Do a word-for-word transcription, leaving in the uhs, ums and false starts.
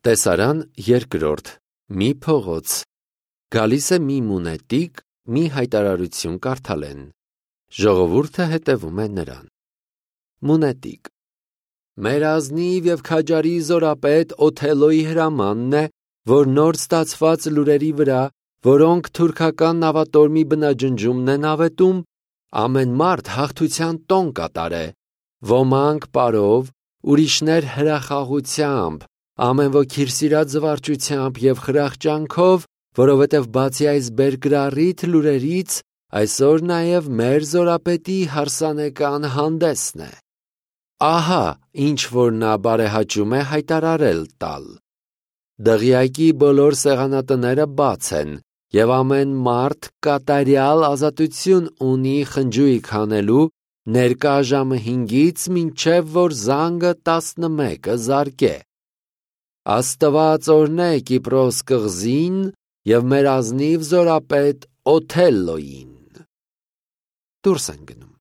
Տեսարան երկրորդ, մի փողոց, գալիս է մի մունետիկ, մի հայտարարություն կարդալ են, ժողովուրդը հետևում է նրան։ Մունետիկ. մեր ազնիվ և քաջարի զորապետ Օթելոյի հրամանն է, որ նոր ստացված լուրերի վրա, որոնք թուրքական նավատորմի բնաջնջումն են ավետում, ամեն մարդ հաղթության տոն կատարե, ոմանք պարով, ուրիշներ հրախաղությամբ, ամեն ոք իր սիրած զվարճությամբ և խրախճանքով, որովհետև բացի այս բերկրառիթ լուրերից, այսօր նաև մեր զորապետի հարսանեկան հանդեսն է։ Ահա ինչ որ նա բարեհաճում է հայտարարել տալ։ Դղյակի բոլոր սեղանատները բաց են, և ամեն մարդ կատարյալ ազատություն ունի խնջույք հանելու ներկա ժամը հինգից մինչև որ զանգը տասնմեկը զարկե։ Աստված օրհնե Կիպրոս կղզին և մեր ազնիվ զորապետ Օթելլոյին։ Դուրս են գնում։